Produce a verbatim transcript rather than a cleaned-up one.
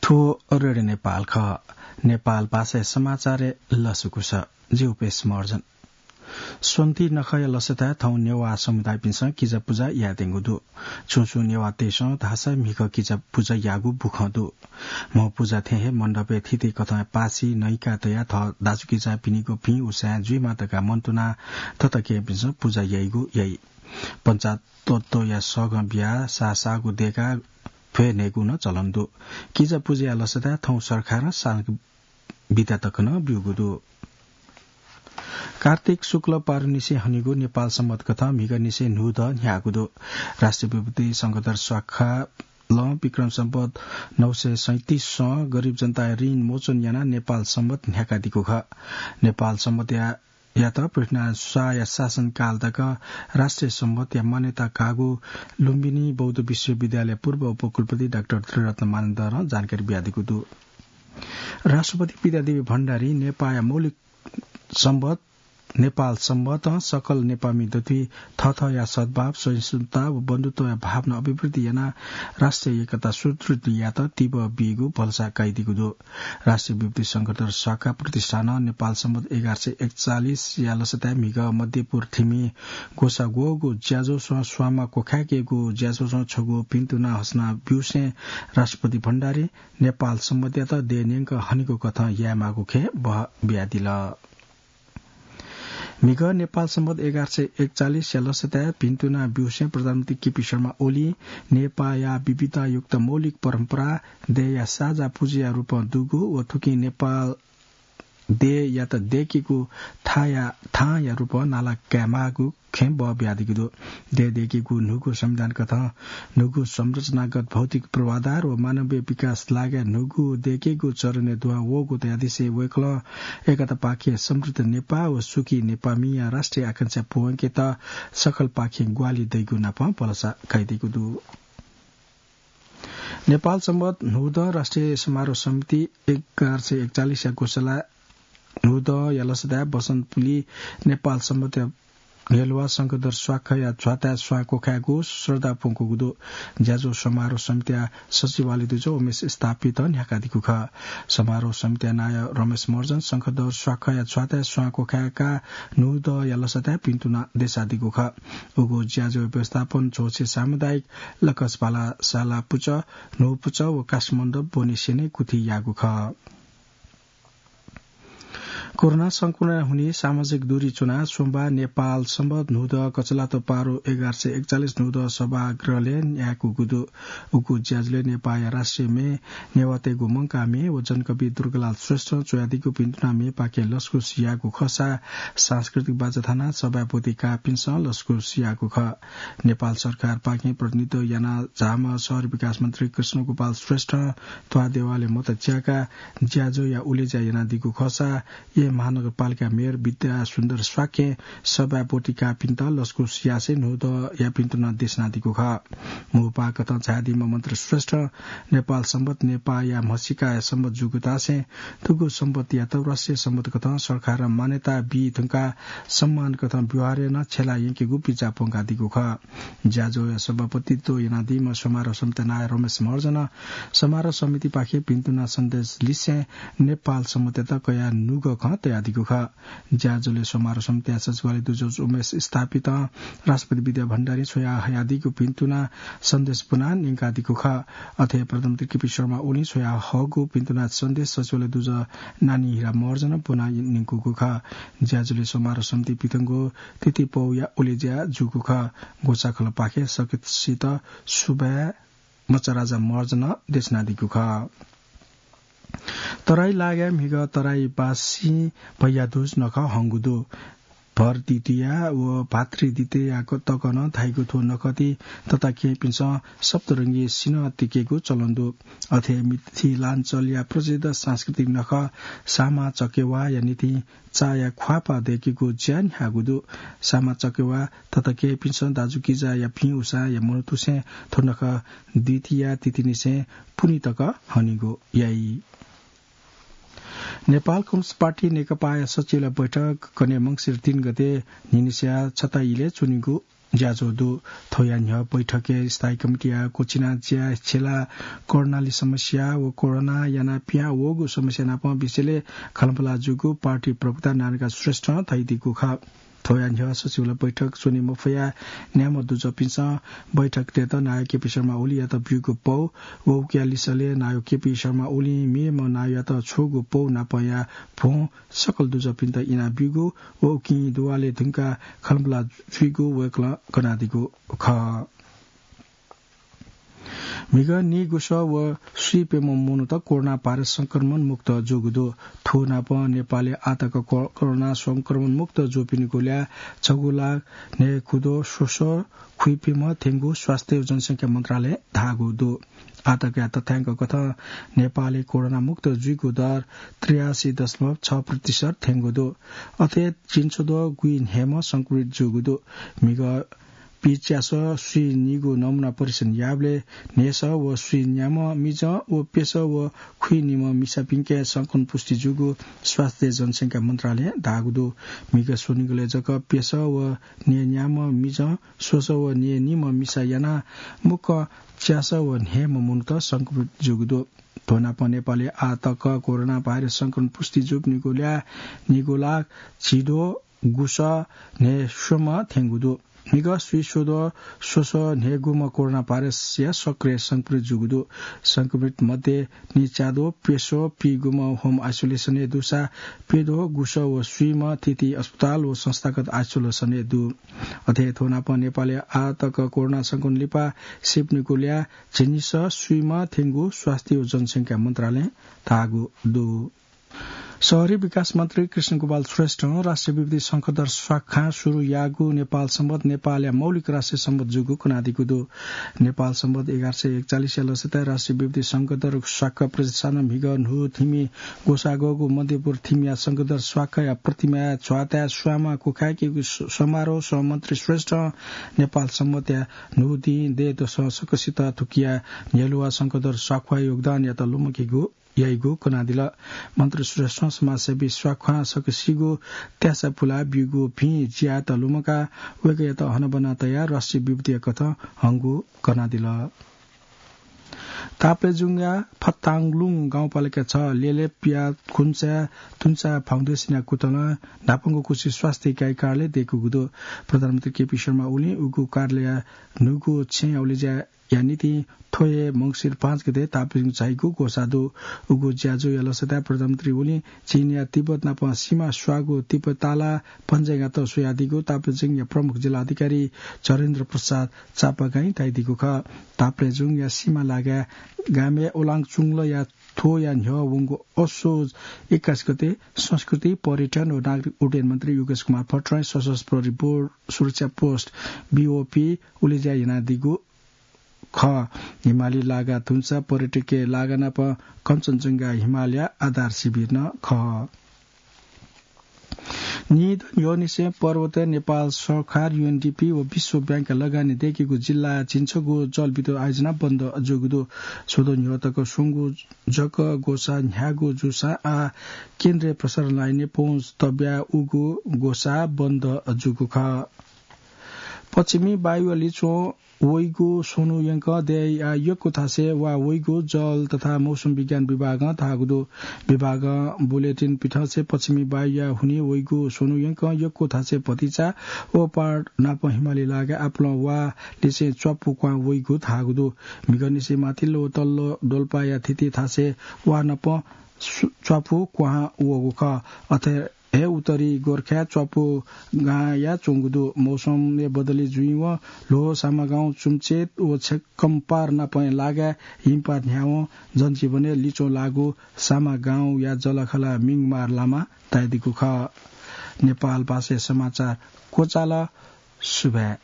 थ्व रेडियो नेपाल खः। नेपाल भाषाया समाचारय् लसकुस। जि उपेश महर्जन। स्वन्ति नखःया लसताय् थौं नेवाः समुदायपिन्सं किजा पुजा यायेत्यंगु दु। छुं छुं नेवाःतय्सं धाःसा म्हिगः किजा पुजा याःगु बुखँ दु। म्ह पुजा थें हे मण्डपय् थितिकथं पासि नइका तयाः थः दाजुकिजापिनिगु भिं उसाँय् जुइमा धकाः मन्तुनाः तताकेहेँपिन्सं पुजा याइगु याइ। पञ्चातत्वया सगं बियाः साःसाःगु दय्काः भ्वय् न्हयेगु नं चलन दु। किजा पुजाया लसताय् थौं सरकारं सालंक बिदा तक नं ब्यूगु दु। कार्तिक शुक्ल पारुनिसें हनीगु नेपाल संवत कथं म्हिगःनिसें न्हूदँ न्ह्याःगु दु। राष्ट्रिय विभूति शंखधर स्वाखालं विक्रम संवत नौ सय सैंतिसं गरिब जनताया ऋण मोचन यानाः नेपाल संवत न्ह्याकादीगु खः। नेपाल संवतया यात पृथ्वीनारायण शाहया शासनकाल तक राष्ट्रिय संवतया मान्यता काःगु लुम्बिनी बौद्ध विश्वविद्यालय पूर्व उपकुलपति डाक्टर त्रिरत्न मानन्धरं जानकारी बियादीगु दु। राष्ट्रपति विद्यादेवी भण्डारी नेपाःया मौलिक संवत नेपाल संवतं सकल नेपाःमि दथुइ थःथःया सद्भाव, सहिष्णुता व बन्धुत्वया भावना अभिवृद्धि यानाः राष्ट्रिय एकता सुदृढ यायेत तिबः बीगु भलसा कयादीगु दु। राष्ट्रिय विभूति शंखधर स्वाखा प्रतिष्ठानं नेपाल संवत एघार सय एकचालिसया लसताय् म्हिगः मध्यपुर थिमि ग्वसाः ग्वःगु ज्याझ्वलय् स्वांमा क्वखायेकेगु ज्याझ्वलं छगू भिन्तुना हसना ब्यूसें राष्ट्रपति भण्डारी नेपाल संवतयात देय् न्यंक हनीगु कथं यायेमाःगु खँय् बहः बियादिल। म्हिगः नेपाल संवत एघार सय एकचालिसया लसताय् भिन्तुना ब्यूसें प्रधानमन्त्री केपी शर्मा ओलीं नेपाःया विविधतायुक्त मौलिक परम्परा देय्‌या साझा पुँजीया रूपं दुगु व थुकिं नेपाल देय्‌यात दय्‌केगु थाया, थांया रूपं नाला कायेमाःगु खँय् बहः बियादीगु दु। देय् दय्‌केगु न्हूगु संविधान कथं न्हूगु संरचनागत भौतिक पूर्वाधार व मानवीय विकास लागाय् न्हूगु दय्‌केगु चरणय् दुहां वःगु धयादिसें वय्‌कलं एकतापाखें समृद्ध नेपाः व सुखी नेपाःमिया राष्ट्रिय आकांक्षा पूवंकेत सकलपाखें ग्वाहालि दइगु नापं भलसा कयादीगु दु। नेपाल संवत न्हूदँ राष्ट्रिय समारोह समिति एघार सय एकचालिसया ग्वसाः न्हूदँया लसताय् बसन्तपुलि नेपाल संवतया न्ह्यलुवा शंखधर स्वाखाया झ्वाताय् स्वां क्वखायेगु श्रद्धा प्वंकूगु दु। ज्याझ्वः समारोह समितिया सचिवालय दुजः उमेश स्थापितं न्ह्याकादीगु खः। समारोह समितिया नायः रमेश महर्जनं शंखधर स्वाखाया झ्वाताय् स्वां क्वखाय्‌काः न्हूदँया लसताय् भिन्तुना देछादीगु खः। उगु ज्याझ्वःया व्यवस्थापन झ्वलय् सामुदायिक लकसभाला साला पुचः, न्हू पुचः व कासमण्डप ब्वनेसेंलि गुथि याःगु खः। कोरोना संक्रमण हुनिं सामाजिक दूरी च्वनाः सोमबाः नेपाल संवत न्हूदँ कचलातो पारु एघार सय एकचालिस न्हूदँ सभागृहलय् न्यायेकूगु दु। उगु ज्याझ्वलय् नेपाःया राष्ट्रिय म्ये, नेवाःतय्‌गु मंकाः म्ये व जनकवि दुर्गालाल श्रेष्ठं च्वयादीगु भिन्तुना म्येपाखें लसकुस याःगु खःसा सांस्कृतिक बाचा थानाः सभाय् ब्वति काःपिन्सं लसकुस याःगु खः। नेपाल सरकारपाखें प्रतिनिधित्व यानाः झाःम्ह शहरी विकास मन्त्री कृष्णगोपाल श्रेष्ठं त्वाःदेवालय् मत च्याकाः ज्याझ्वःया उलेज्या यानादीगु खःसा येँ महानगरपालिका मेयर विद्यासुन्दर शाक्यं सभाय् ब्वति काःपिन्त लसकुस यासें न्हूदँया भिन्तुना देछानादीगु खः। मू पाकथं झायादीम्ह मन्त्री श्रेष्ठं नेपाल संवत नेपाःया म्हसीकाया संवत जूगुतासें थुगु संवतयात राष्ट्रिय संवत कथं सरकारं मान्यता बी धुंकाः सम्मान कथं व्यवहारय् नं छ्यला यंकेगु बिचाः प्वंकादीगु खः। ज्याझ्वःया सभापतित्व यानादीम्ह समारोह समितिया नायः रमेश महर्जनं समारोह समितिपाखें भिन्तुना सन्देश लिसें नेपाल संवतयात कयाः नुगः खँ तयादीगु खः। ज्याझ्वलय् समारोह समितिया सचिवालय दुजः उमेश स्थापितं राष्ट्रपति विद्या भण्डारीं छ्वया हयादीगु भिन्तुना सन्देश ब्वनाः न्यंकादीगु खः। अथे प्रधानमन्त्री केपी शर्मा ओलीं छ्वया हःगु भिन्तुना सन्देश सचिवालय दुजः नानी हिरा महर्जनं ब्वनाः न्यंकूगु खः। ज्याझ्वलय् समारोह समिति पिथंगु तिथिपौया उलेज्या जूगु खः। ग्वसाःखलःपाखें सकसित सुभाय् मचाराजा महर्जनं देछानादीगु खः। तराई लागाय् म्हिगः तराईबासीं भैयादुज नखः हंगु दु। भर द्वितीया व भातृ द्वितीया तक नं धाइगु थ्व नखःति तताकेहेँपिन्सं सप्तरंगी सिन्हः तिकेगु चलन दु। अथे मिथिलाञ्चलया प्रसिद्ध सांस्कृतिक नखः सामा चकेवाया निंतिं चाया ख्वाःपाः दय्‌केगु ज्या न्ह्याःगु दु। सामा चकेवा तताकेहेँपिन्सं दाजुकिजाया भिं उसाँया मनूतुसें थ्व नखः द्वितीया तिथिनिसें पुन्हि तक हनीगु याइ। नेपाल कम्युनिस्ट पार्टी नेकपाया सचिवालय बैठक गने मंसिर तीन गते न्हिनिसिया छता इलय् च्वनीगु ज्याझ्वः दु। थौंया न्ह्यः बैठकय् स्थायी कमिटीया क्वचिना ज्या छेला कर्णाली समस्या व कोरोना यानाः पिहां वःगु समस्या नाप विषयलय् खलंपलाः जूगु पार्टी प्रवक्ता नारायणकाजी श्रेष्ठं धयादीगु खः। थौंया न्ह्यः सचिवालय बैठक च्वने मफयाः न्याम्ह दुजःपिन्सं बैठक तयेत नायः केपी शर्मा ओलीयात ब्यूगु पौ व उकिया लिसलय् नायः केपी शर्मा ओलीं मेम्ह नायःयात छ्वःगु पौ नापया भ्वं सकल दुजःपिन्त इनाब्यूगु व उकिं दुवालय् धुंकाः खलंपलाः जुइगु वय्कलं कनादीगु खः। म्हिगः नीगुसः व स्वीप्यम्ह मनूत कोरोना भाइरस संक्रमण मुक्त जूगु दु। थ्व नाप नेपालय् आःतक को-, कोरोना संक्रमण मुक्त जूपिनिगु ल्याः छगू लाख न्हय्गुद्वः स्वसः खुइप्यम्ह थ्यंगु स्वास्थ्य व जनसंख्या मन्त्रालयं धाःगु दु। आःतकया तथ्याङ्क कथं नेपालय् कोरोना मुक्त जुइगु दर त्रियासी दशमलव छ प्रतिशत थ्यंगु दु। अथे झिंछुद्वः गुइन्हय्म्ह संक्रमित जूगु दु। म्हिगः पिच्यासः स्वीनिगु नमूना परीक्षण याःबलय् न्हय्सः व स्वीन्याम्ह मिजं व प्यसः व खुइनिम्ह मिसापिन्के संक्रमण पुष्टि जूगु स्वास्थ्य जनसंख्या मन्त्रालयं धाःगु दु। म्हिगः स्वनिगलय् जक प्यसः व न्हय्न्याम्ह मिजं, स्वसः व न्हय्निम्ह मिसा यानाः मुक्कं च्यासः व न्हय्म्ह मनूत संक्रमित जूगु दु। थ्व नाप नेपालय् आःतक कोरोना भाइरस संक्रमण पुष्टि जूपिनिगु ल्याः नीगु लाख झिद्वः गुसः न्हय्स्वम्ह थ्यंगु दु। म्हिगः स्वीस्वद्वः स्वसः न्हय्गुम्ह कोरोना भाइरसया सक्रिय संक्रमित जूगु दु। संक्रमित मध्ये निच्याद्वः प्यस्वः पीगुम्ह home isolation-य् दुसा प्यद्वः गुसः व स्वीम्ह थीथी अस्पताल व संस्थागत isolation-य् दु। अथे थ्व नाप नेपालय् आःतक कोरोना संक्रमण लिपा सीपिनिगु ल्याः झिंनिसः स्वीम्ह थ्यंगु स्वास्थ्य व जनसंख्या मन्त्रालयं धाःगु दु। शहरी विकास मन्त्री कृष्णगोपाल श्रेष्ठं राष्ट्रिय विभूति शंखधर स्वाख्वां सुरु याःगु नेपाल संवत नेपालया मौलिक राष्ट्रिय संवत जूगु कनादीगु दु। नेपाल संवत एघार सय एकचालिसया लसताय् राष्ट्रिय विभूति शंखधर स्वाख्वा प्रतिष्ठानं म्हिगः न्हू थिमि ग्वसाः ग्वःगु मध्यपुर थिमिया शंखधर स्वाख्वाया प्रतिमाया च्वाताय् स्वांमा क्वखाय्केगु स-, समारोहं मन्त्री श्रेष्ठं नेपाल संवतया न्हू दिं दँय्दसं सकसित थुकिया न्ह्यलुवा शंखधर स्वाख्वाया योगदानयात लुमंकेगु याइगु कनादिल। मन्त्री श्रेष्ठं समाजसेवी स्वाख्वां सकसिगु त्यासा पुलाः ब्यूगु भिं ज्यायात लुमंकाः वय्कःयात हनाबना तयाः राष्ट्रिय विभूतिया कथं हंगु कनादिल। ताप्लेजुङया फताङलुङ गाउँपालिका छ लेलेपया खुन्चा तुन्चा फाउन्डेसनया कुतलं न्हापांगु कुछि स्वास्थ्य इकाइ कार्यालय दय्कूगु दु। प्रधानमन्त्री केपी शर्मा ओलीं उगु कार्यालय न्हूगु छेँया उलेज्या या निंतिं थ्व हे मंसिर पाँच गते ताप्लेजुङ झाइगु ग्वसाः दु। उगु ज्याझ्वःया लसताय् प्रधानमन्त्री ओलीं चीनया तिब्बत नाप सीमा स्वाःगु तिब्बत ताला पञ्जाइगात स्वयादीगु ताप्लेजुङया प्रमुख जिल्ला अधिकारी झरेन्द्र प्रसाद चापागाईं धयादीगु खः। ताप्लेजुङया सीमा लागाय् गामय् ओलाङ चुंगलया थ्वया न्ह्यः वंगु असोज एक्काइस गते संस्कृति, पर्यटन व नागरिक उड्डयन मन्त्री योगेश कुमार भट्टराईं सशस्त्र प्रहरी बोर्ड सुरक्षा पोस्ट, बीओपी, उलेज्या यानादीगु खः। हिमाली लागा धुंसा पर्यटकीय लागा नाप कञ्चनजंघा हिमालया आधार शिविर नं खः। नीदँ न्ह्यःनिसें पर्वतय् नेपाल सरकार, यूएनडीपी व विश्व बैंकया लगानी दय्केगु जिल्लाय् झिंछगू जलविद्युत आयोजना बन्द जूगु दु। स्वदँ न्ह्यः तक स्वंगु जक ग्वसाः न्ह्यागु जूसां आः केन्द्रीय प्रसारण लाइनय् पहुँच तब्याः उगु ग्वसाः बन्द जूगु खः। पश्चिमी वायुया लिच्वं वइगु स्वन्हु यंकं देय्या यक्व थासय् वा वइगु जल तथा मौसम विज्ञान विभागं धाःगु दु। विभागं बुलेटिन पिथंसे पश्चिमी वायुया हुनिं वइगु स्वन्हु यंकं यक्व थासय् भतिचा व पहाड नाप हिमाली लागाय् आपालं वा लिसें च्वापु क्वहां वइगु धाःगु दु। म्हिगःनिसें माथिल्लो व तल्लो डोल्पाया थीथी थासय् वा नाप सु-, च्वापु क्वहां वःगु खः। अथे हे उत्तरी गोर्खाय् च्वापु गांया च्वंगु दु। मौसमय् बदली जुइवं ल्हो, सामागाउँ, चुम्चेत व छेकम्पार नापं लागाय् हिमपात न्ह्यावं जनजीवनय् लिच्वं लाःगु सामागाउँया जःलाखःला मिंगमार लामा तयादीगु खः। नेपाल भाषाय् समाचार क्वचाल। सुभाय्।